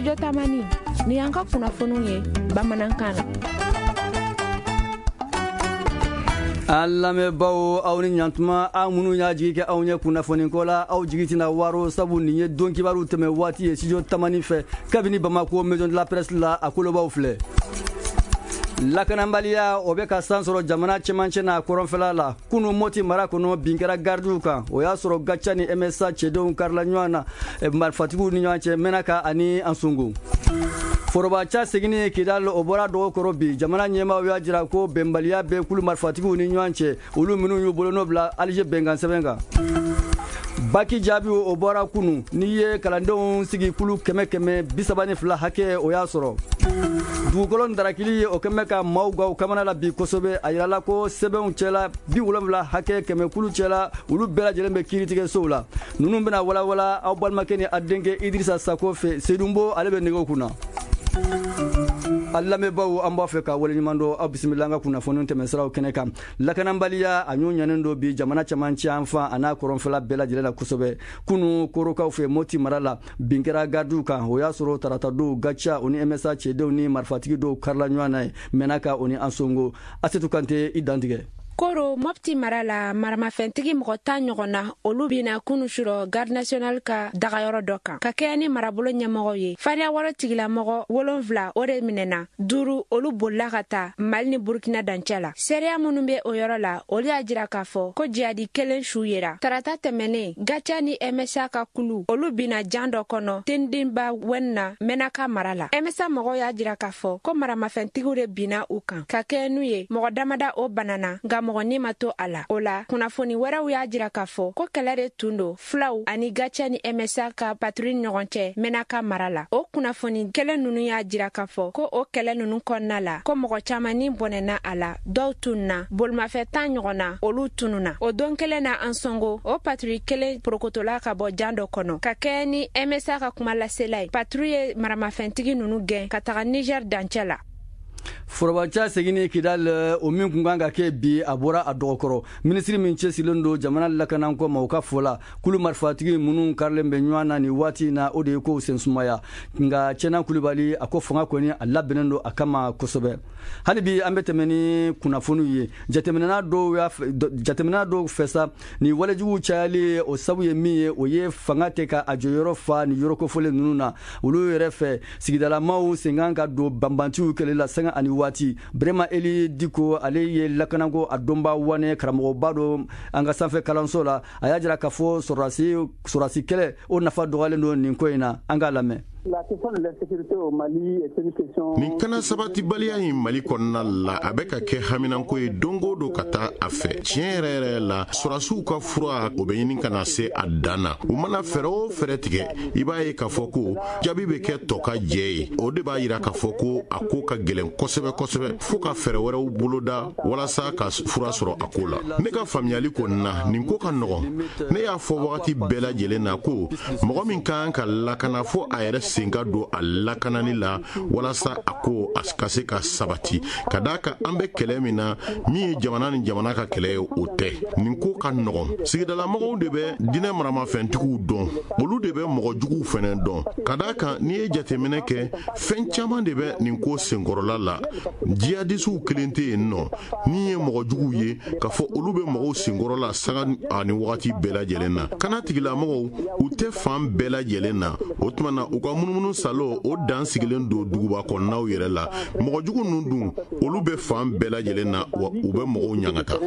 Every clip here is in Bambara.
Studio Tamani, nin y'an ka kunnafoniw ye bamanankan na. An lamɛnbaaw, aw ni ɲantuma. Aw minnu y'a jigi kɛ anw ye kunnafoniko la, aw jigi tɛna waro, sabu nin ye don kibaru tɛmɛ waati ye Studio Tamani fɛ kabini Bamako, Maison de la Presse la. A kolobaw filɛ: lakanabaliya, o bɛ ka san sɔrɔ jamana cɛmancɛ n'a kɔrɔnfɛla la. Kunu, Moti mara kɔnɔ, bin kɛra garidiw kan. O y'a sɔrɔ GATIA ni MSA cɛdenw karila ɲɔgɔn na marifatigiw ni ɲɔgɔn cɛ Mɛnaka ani Ansongo. Forobaca seginni Kidal, o bɔra dɔgɔ kɔrɔ bi. Jamana ɲɛmaaw y'a jira ko bɛnbaliya bɛ kulu marifatigiw ni ɲɔgɔn cɛ, olu minnu y'u bolonɔ bila Alger bɛnkan sɛbɛn kan. Baki jaabi, o bɔra kunu. N'i ye kalandenw sigi kulu 132 hakɛ, o y'a sɔrɔ. Dugukolo darakili, o kɛn bɛ ka maaw gaw kamana la bi kosɛbɛ. A yirala ko sɛbɛnw cɛla 70 hakɛ, 100 kulu cɛla, olu bɛɛ lajɛlen bɛ kiiritigɛsow la. Ninnu bɛna walawala aw balimakɛ ni a denkɛ Idirisa Sako fɛ. Sedunbo, ale bɛ nɛgɛw kunna. A lamɛnbaaw, an b'a fɛ ka waleɲuman dɔn. Aw bisimila an ka kunnafoni tɛmɛsiraw kɛnɛ kan. Lakanabaliya, a ɲɔ ɲanen don bi jamana cɛmancɛ an fan a n'a kɔrɔnfɛla bɛɛ lajɛlen la kosɛbɛ. Kunu, Korokaw fɛ, Moti mara la, bin kɛra garidiw kan. O y'a sɔrɔ tarata don, GATIA, o ni MSA cɛdenw ni marifatigi dɔw karila ɲɔgɔn na ye Mɛnaka, o ni Ansongo. Asetu Kante, i dantigɛ. Koro, Mɔpti mara la, maramafɛntigi mɔgɔ 10 ɲɔgɔn na, olu bina kunu surɔ Garde nationale ka dagayɔrɔ dɔ kan ka kɛɲɛ ni marabolo ɲɛmɔgɔw ye. Fariya wɔrɔ tigilamɔgɔ wolonfila, o de minɛna. Duuru, olu bolila ka taa Mali ni Burukina dancɛ la. Seereya minnu bɛ o yɔrɔ la, olu y'a jira k'a fɔ ko jihadi kelen su yera. Tarata tɛmɛnen, GATIA ni MSA ka kulu, olu bina jan dɔ kɔnɔ Tendinba Wɛn na, Mɛnaka mara la. MSA mɔgɔw y'a jira k'a fɔ ko maramafɛntigiw de binna u kan ka kɛɲɛ n'u ye. Mɔgɔ damada, o banana, nka mɔgɔ ni ma to a la. O la, kunnafoni wɛrɛw y'a jira k'a fɔ ko kɛlɛ de tun don fulaw ani GATIA ni MSA ka patrouille ɲɔgɔn cɛ Mɛnaka mara la. O kunnafoni kɛlɛ nunu y'a jira k'a fɔ ko o kɛlɛ nunu kɔnɔna la, ko mɔgɔ caman ni bɔnɛna a la, dɔw tununa, bolimafɛn 10 ɲɔgɔn na, olu tununa. O don kelen na, Ansongo, o patrouille kelen porokotola ka bɔ jan dɔ kɔnɔ ka kɛɲɛ ni MSA ka kuma lasela ye. Patrouille ye maramafɛntigi nunu gɛn ka taga Niger dancɛ la. Forobaca seginni Kidal, o min kun kan ka kɛ bi, a bɔra a dɔgɔkɔrɔ. Minisiri min cɛsirilen don jamana lakanako ma, o ka fɔ la, kulu marifatigi minnu karilen bɛ ɲɔgɔn na nin waati in na, o de ye kow sen sumaya. Nka Cɛna Kulibali, a ko fanga kɔni, a labɛnnen don a kama kosɛbɛ. Hali bi, an bɛ tɛmɛ ni kunnafoniw ye. Jateminɛna dɔw fɛ sa, nin walejugu cayali, o sabu ye min ye, o ye fanga tɛ ka a jɔyɔrɔ fa ni yɔrɔ kofɔlen ninnu na. Olu yɛrɛ fɛ, sigidalamaw sen kan ka don banbantiw kɛlɛ la sanga ani waati. Brema Eli Diko, ale ye lakanako a dɔnba wane karamɔgɔba don an ka sanfɛ kalanso la. A y'a jira k'a fɔ sɔrɔdasi kɛlɛ, o nafa dɔgɔyalen don nin ko in na. An k'a lamɛn. Nin kana sabatibaliya in Mali kɔnɔna la, a bɛ ka kɛ haminanko ye don o don ka taa a fɛ. Tiɲɛ yɛrɛ yɛrɛ la, sɔrɔdasiw ka fura, o bɛ ɲini ka na se a dan na. U mana fɛɛrɛ o fɛɛrɛ tigɛ, i b'a ye k'a fɔ ko jaabi bɛ kɛ tɔ ka jɛ ye. O de b'a yira k'a fɔ ko a ko ka gɛlɛn kosɛbɛ kosɛbɛ, fo ka fɛɛrɛ wɛrɛw boloda walasa ka fura sɔrɔ a ko la. Ne ka faamuyali kɔni na, nin ko ka nɔgɔn. Ne y'a fɔ wagati bɛɛ lajɛlen na ko mɔgɔ min ka kan ka lakana, fo a yɛrɛ sen ka don a lakanani la, walasa a ko a ka se ka sabati. Ka d'a kan, an bɛ kɛlɛ min na, min ye jamana ni jamana ka kɛlɛ ye, o tɛ. Nin ko ka nɔgɔn. Sigidalamɔgɔw de bɛ diinɛ maramafɛntigiw dɔn, olu de bɛ mɔgɔ juguw fɛnɛ dɔn. Ka d'a kan, n'i ye jateminɛ kɛ, fɛn caman de bɛ nin ko senkɔrɔla la. Jihadisiw kelen tɛ yen nɔ min ye mɔgɔ juguw ye k'a fɔ olu bɛ mɔgɔw senkɔrɔla sanga ani wagati bɛɛ lajɛlen na. Kana tigilamɔgɔw, u tɛ fan bɛɛ lajɛlen na. O tuma na, u ka munumunu salo, o dan sigilen don duguba kɔnɔnaw yɛrɛ la. Mɔgɔ jugu ninnu dun, olu bɛ fan bɛɛ lajɛlen na, wa u bɛ mɔgɔw ɲangata.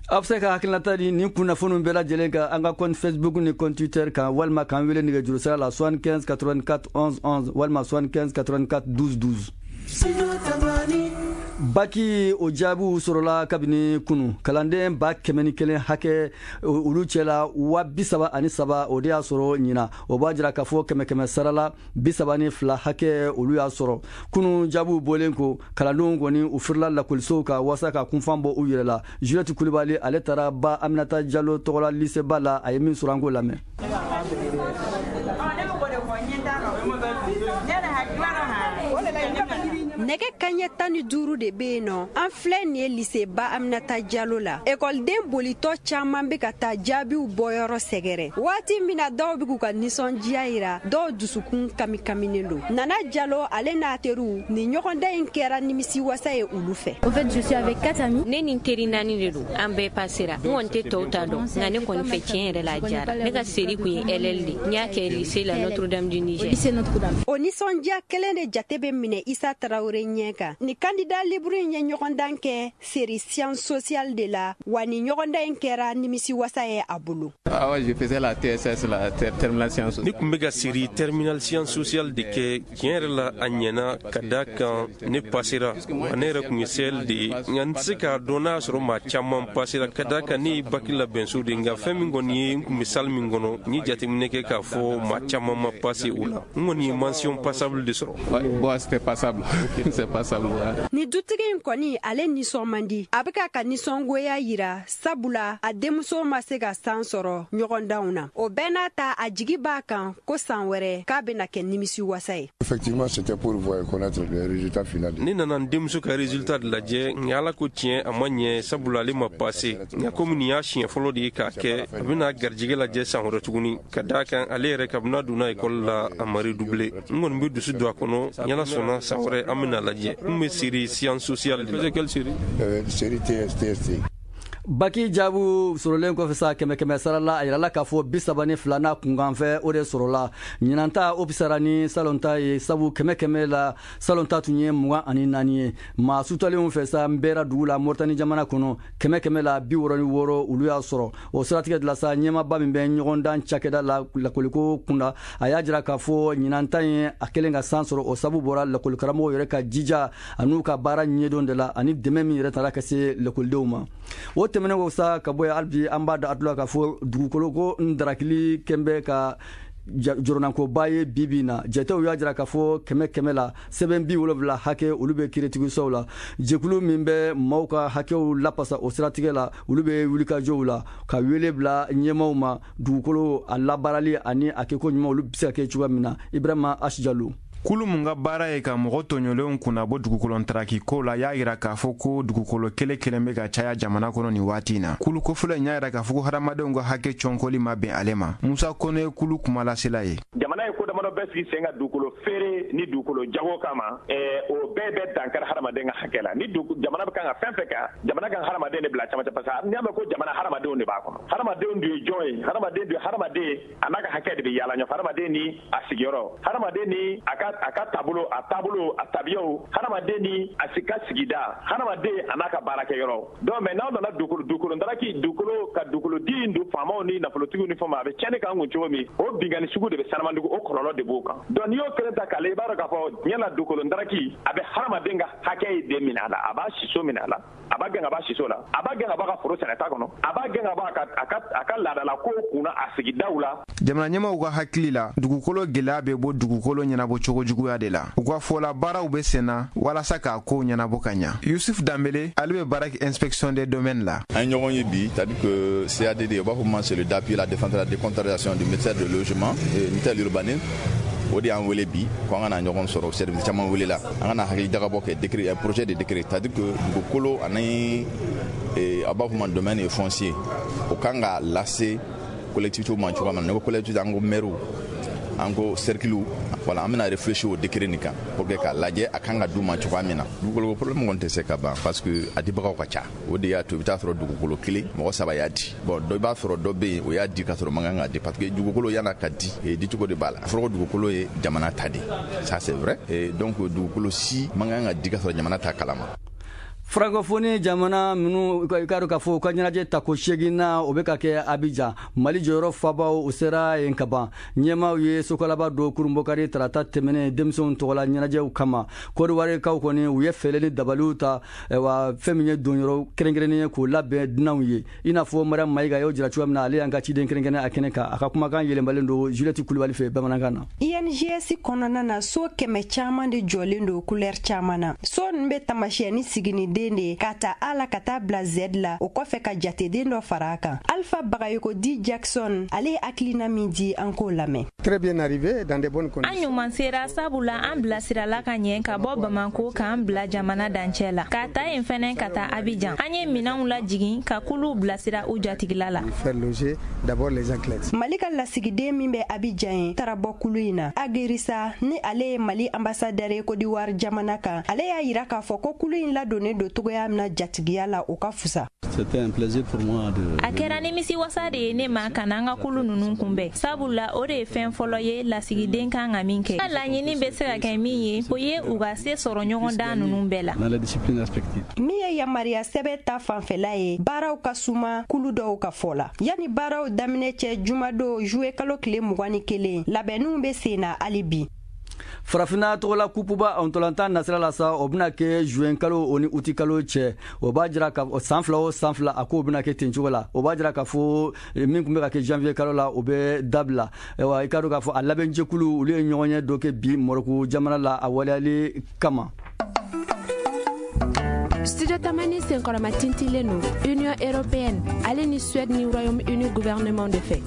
A bɛ se ka hakilinata di nin kunnafoniw bɛɛ lajɛlen kan an ka compte Facebook ni compte Twitter kan, walima k'an wele nɛgɛjuru sira la 75 84 11 11, walima 75 84 12 12. Baki, o jaabiw sɔrɔla kabini kunu. Kalanden 101 hakɛ, olu cɛla 33,000, o de y'a sɔrɔ ɲina. O b'a jira k'a fɔ kɛmɛ kɛmɛ sarala, 32 hakɛ, olu y'a sɔrɔ kunu. Jaabiw bɔlen ko, kalandenw kɔni, u firila lakɔlisow kan walasa ka kunfan bɔ u yɛrɛ la. Juliette Kulibali, ale taara Ba Aminata Jalo tɔgɔla liseba la. A ye min sɔrɔ, an k'o lamɛn. Nɛgɛ kanɲɛ 15 de bɛ yen nɔ. An filɛ nin ye lycée Ba Aminata Jalo la. Ekɔliden bolitɔ caman bɛ ka taa jaabiw bɔyɔrɔ sɛgɛrɛ. Waati min na dɔw bɛ k'u ka nisɔndiya yira, dɔw dusukun kamikaminen don. Nana Jalo ale n'a teriw, nin ɲɔgɔndan in kɛra nimisiwasa ye olu fɛ. Au fait, je suis avec 4 amis. Ne ni teri 4 de don, an bɛɛ passera. N kɔni tɛ tɔw ta dɔn, nka ne kɔni fɛ tiɲɛ yɛrɛ la a diyara. Ne ka série kun ye LL de. N y'a kɛ lycée la Notre-Dame du Niger. Lycée Notre-Dame. O nisɔndiya kelen de jate bɛ minɛ Isa Tarawele ɲɛ kan. Ni candidat libre in ye ɲɔgɔndan kɛ série sciences sociales de la, wa ni ɲɔgɔndan in kɛra nimisiwasa ye a bolo. Ah ouais, je faisais la TSS, la terminale sciences sociales. Ne tun bɛ ka série terminale sciences sociales de kɛ. Tiɲɛ yɛrɛ la a ɲɛna ka da kan ne passera. Wa ne yɛrɛ tun ye CL de ye, nka n tɛ se k'a dɔn n'a y'a sɔrɔ maa caman passera ka da kan ne ye bac labɛnso de ye. Nka fɛn min kɔni ye, n tun bɛ salle min kɔnɔ, n ye jateminɛ kɛ k'a fɔ maa caman ma passé o la. N kɔni ye mention passable de sɔrɔ. Bon, c'était passable. C'est passable. Ni dutigi in kɔni, ale nisɔn man di. A bɛ k'a ka nisɔngoya yira, sabula a denmuso ma se ka san sɔrɔ ɲɔgɔndanw na. O bɛɛ n'a ta, a jigi b'a kan ko san wɛrɛ k'a bɛna kɛ nimisiwasa ye. Effectivement, c'était pour voir connaître le résultat final. Ne nana n denmuso ka résultat de lajɛ, nka Ala ko tiɲɛ, a ma ɲɛ, sabula ale ma passé. Nka komi nin y'a siɲɛ fɔlɔ de ye k'a kɛ, a bɛna garijɛgɛ lajɛ san wɛrɛ tuguni, ka d'a kan ale yɛrɛ kabini a donna école la a ma redoubler. N kɔni bɛ dusu don a kɔnɔ, ni Ala sɔnna san wɛrɛ an bɛna lajɛ. N bɛ série sciences sociales de la. Quelle série? Série TST. Baki jaabu sɔrɔlen kɔfɛ sa, 100 sara la, a yirala k'a fɔ 32 n'a kunkanfɛ o de sɔrɔla. Ɲinanta o fisara ni salon ta ye, sabu 100 la salon ta tun ye 24 ye. Maa sutalenw fɛ sa, n bɛra dugu la Moritani jamana kɔnɔ, 100 la 66 olu y'a sɔrɔ. O siratigɛ de la sa, ɲɛmaaba min bɛ ɲɔgɔndan cakɛda la lakɔliko kunda, a y'a jira k'a fɔ ɲinanta ye a kɛlen ka san sɔrɔ, o sabu bɔra lakɔlikaramɔgɔw yɛrɛ ka jija an'u ka baara ɲɛdɔn de la, ani dɛmɛ min yɛrɛ taara ka se lakɔlidenw ma. O tɛmɛnen ko sa ka bɔ yen, hali bi an b'a da a tulo k'a fɔ dugukolo ko n darakili kɛn bɛ ka jɔrɔnankoba ye bi bi in na. Jatew y'a jira k'a fɔ 100 la sɛbɛn 70 hakɛ olu bɛ kiiritigisow la. Jɛkulu min bɛ maaw ka hakɛw lapasa o siratigɛ la, olu bɛ wulikajɔw la ka wele bila ɲɛmaaw ma dugukolo a labaarali ani a kɛko ɲuman olu bɛ se ka kɛ cogoya min na. Ibrahima Asijalo. Kulu mun ka baara ye ka mɔgɔ tɔɲɔlenw kunnabɔ dugukolo ko la, y'a yira k'a fɔ ko dugukolo kelen kelen bɛ ka caya jamana kɔnɔ nin waati in na. Kulu kofɔlɔ in y'a yira k'a fɔ ko hadamadenw ka hakɛ cɔnkɔli ma bɛn ale ma. Musa Kɔnɛ ye kulu kumalasela ye. Jamana ye ko damadɔ bɛɛ sigi sen ka dugukolo feere ni dugukolo jago kama, o bɛɛ bɛ dankari hadamaden ka hakɛ la. Ni jamana bɛ kan ka fɛn fɛn kan, jamana kan hadamaden de bila camancɛ, parce que n'i y'a mɛn ko jamana, hadamadenw de b'a kɔnɔ. Hadamadenw dun ye jɔn ye? Hadamaden dun ye hadamaden, a n'a ka hakɛ de bɛ yaala ɲɔgɔn fɛ. Hadamaden ni a sigiyɔrɔ, hadamaden ni a ka taabolo, a taabolo, a tabiyaw, hadamaden ni a ka sigida, hadamaden a n'a ka baarakɛyɔrɔ. Donc mais n'aw nana dugukolo daraki, dugukolo ka dugukolo di in don faamaw ni nafolotigiw ni fɛnw ma, a bɛ tiɲɛni k'an kun cogo min, o binkanni sugu de bɛ Sanamandugu, o kɔlɔlɔ de b'o kan. Donc n'i y'o kelen ta k'ale, i b'a dɔn k'a fɔ diɲɛ la dugukolo daraki a bɛ hadamaden ka hakɛ de minɛ a la, a b'a siso minɛ a la, a b'a gɛn ka bɔ a siso la, a b'a gɛn ka bɔ a ka foro sɛnɛta kɔnɔ, a b'a gɛn ka bɔ a ka laadala kow kunna a sigidaw la. Jamana ɲɛmaaw ka hakili la, dugukolo gɛlɛya bɛ bɔ dugukolo ɲɛnabɔ cogo juguya de la. U ka fɔ la, baaraw bɛ sen na walasa k'a kow ɲɛnabɔ ka ɲa. Yusuf Danbele, ale bɛ baara kɛ inspection des domaines la. An ye ɲɔgɔn ye bi, c'est-à-dire que CADD, u b'a fɔ ma, c'est le d'appui la défense de la décentralisation du ministère de logement et ministère de l'urbanisme. O de y'an wele bi ko an ka na ɲɔgɔn sɔrɔ. Service caman welela, an ka na hakili jagabɔ kɛ décret, projet de décret, c'est-à-dire que dugukolo ani a b'a fɔ ma domaine foncier, o kan ka lase collectivité ma cogoya min na. Ne ko collectivité, an ko maire, an ko cercle. Voilà, an bɛna réfléchir o décret nin kan pour que k'a lajɛ a kan ka d'u ma cogoya min na. Dugukolo problème kɔni tɛ se ka ban, parce que a dibagaw ka ca. O de y'a to i bɛ taa sɔrɔ dugukolo kelen, mɔgɔ saba y'a di. Bon, dɔ i b'a sɔrɔ dɔ bɛ yen, o y'a di ka sɔrɔ man kan ka di, parce que dugukolo yan'a ka di, dicogo de b'a la. A fɔra ko dugukolo ye jamana ta de, ça c'est vrai. Et donc dugukolo si man kan ka di ka sɔrɔ jamana ta kalama. Francophonie jamana minnu, i k'a dɔn k'a fɔ u ka ɲɛnajɛ tako 8nan, o bɛ ka kɛ Abidjan. Mali jɔyɔrɔ fabaw, o sera yen ka ban. Ɲɛmaaw ye sokalaba don kurunbokari tarata tɛmɛnen denmisɛnw tɔgɔla ɲɛnajɛw kama. Kɔdiwarikaw kɔni, u ye fɛɛrɛ ni dabaliw ta wa fɛn min ye donyɔrɔ kɛrɛnkɛrɛnnen ye k'o labɛn dunanw ye, i n'a fɔ Mariam Mayiga y'o jira cogoya min na. Ale y'an ka ciden kɛrɛnkɛrɛnnen a kɛnɛ kan. A ka kumakan yɛlɛmalen don Juliette Kulibali fɛ bamanankan na. INGS kɔnɔna na, so 100 caman de jɔlen don couleur caman na. So ninnu bɛ tamasiyɛn ni siginidenw sifuruden de ye k'a ta A la ka taa bila Z la, o kɔfɛ ka jateden dɔ fara a kan. Alpha Bagayoko di Jackson, ale ye hakilina min di, an k'o lamɛn. Très bien arrivé dans de bonnes conditions. An ɲuman sera, sabula an bilasirala ka ɲɛ ka bɔ Bamako k'an bila jamana dancɛ la, ka taa yen fɛnɛ ka taa Abidjan. An ye minɛnw lajigin ka kuluw bilasira u jatigila la. Faire loger d'abord les athlètes. Mali ka lasigiden min bɛ Abidjan ye taara bɔ kulu in na. Agerisa ni ale ye Mali ambassadeur ye Côte d'Ivoire jamana kan, ale y'a yira k'a fɔ ko kulu in ladonnen don cogoya min na jatigiya la, o ka fusa. C'était un plaisir pour moi de. A kɛra nimisi wasa de ye ne ma ka n'an ka kulu ninnu kunbɛn, sabula o de ye fɛn fɔlɔ ye lasigiden kan ka min kɛ. Ka laɲini bɛ se ka kɛ min ye, o ye u ka se sɔrɔ ɲɔgɔn dan ninnu bɛɛ la. Dans les disciplines respectives. Min ye yamaruya sɛbɛn ta fanfɛla ye, baaraw ka suma kulu dɔw ka fɔ la. Yanni baaraw daminɛ cɛ, jumadon juwe kalo tile 21, labɛnninw bɛ sen na hali bi. Farafinna tɔgɔla kupuba ntolantan nasira la sa, o bɛna kɛ juin kalo o ni uti kalo cɛ. O b'a jira ka san 2 o san 2, a k'o bɛna kɛ ten cogo la. O b'a jira k'a fɔ min tun bɛ ka kɛ janvier kalo la, o bɛ dabila. Ayiwa, i k'a dɔn k'a fɔ a labɛnjɛkulu, olu ye ɲɔgɔn ye dɔ kɛ bi Moroko jamana la a waleyali kama. Studio Tamani senkɔrɔma tintilen don Union européenne ale ni Suède ni Royaume-Uni gouvernement de fɛ.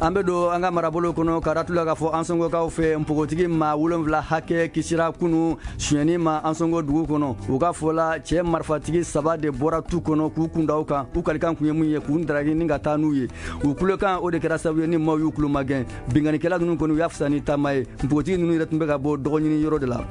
An bɛ don an ka marabolo kɔnɔ ka ratula k'a fɔ Ansongokaw fɛ, npogotigi maa 7 hakɛ kisira kunu sonyɛni ma Ansongo dugu kɔnɔ. U ka fɔ la, cɛ marifatigi 3 de bɔra tu kɔnɔ k'u kunda u kan. U kalikan kun ye mun ye? K'u daraki ni ka taa n'u ye. U kulokan o de kɛra sababu ye ni maaw y'u kulo magɛn. Binkannikɛla ninnu kɔni, u y'a fisa ni taama ye. Npogotigi ninnu yɛrɛ tun bɛ ka bɔ dɔgɔɲini yɔrɔ de la.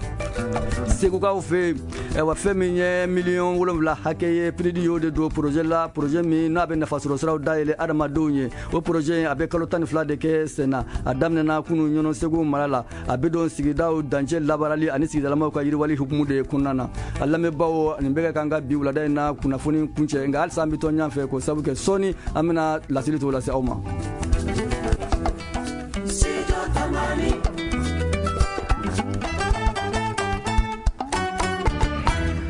Segukaw fɛ, ayiwa, fɛn min ye miliyɔn 7 hakɛ ye, PNUD y'o de don projet la, projet min n'a bɛ nafasɔrɔ siraw dayɛlɛ adamadenw ye. O projet in, a bɛ kalo 12 de kɛ sen na. A daminɛna kunu Ɲɔnɔ Segu mara la. A bɛ don sigidaw dancɛ labaarali ani sigidalamaw ka yiriwali hukumu de kɔnɔna na. A lamɛnbaaw, nin bɛ ka k'an ka bi wulada in na kunnafoni kuncɛ, nka halisa an bɛ to ɲɔgɔn fɛ k'o sabu kɛ sɔɔni an bɛna laseli tɔw lase aw ma.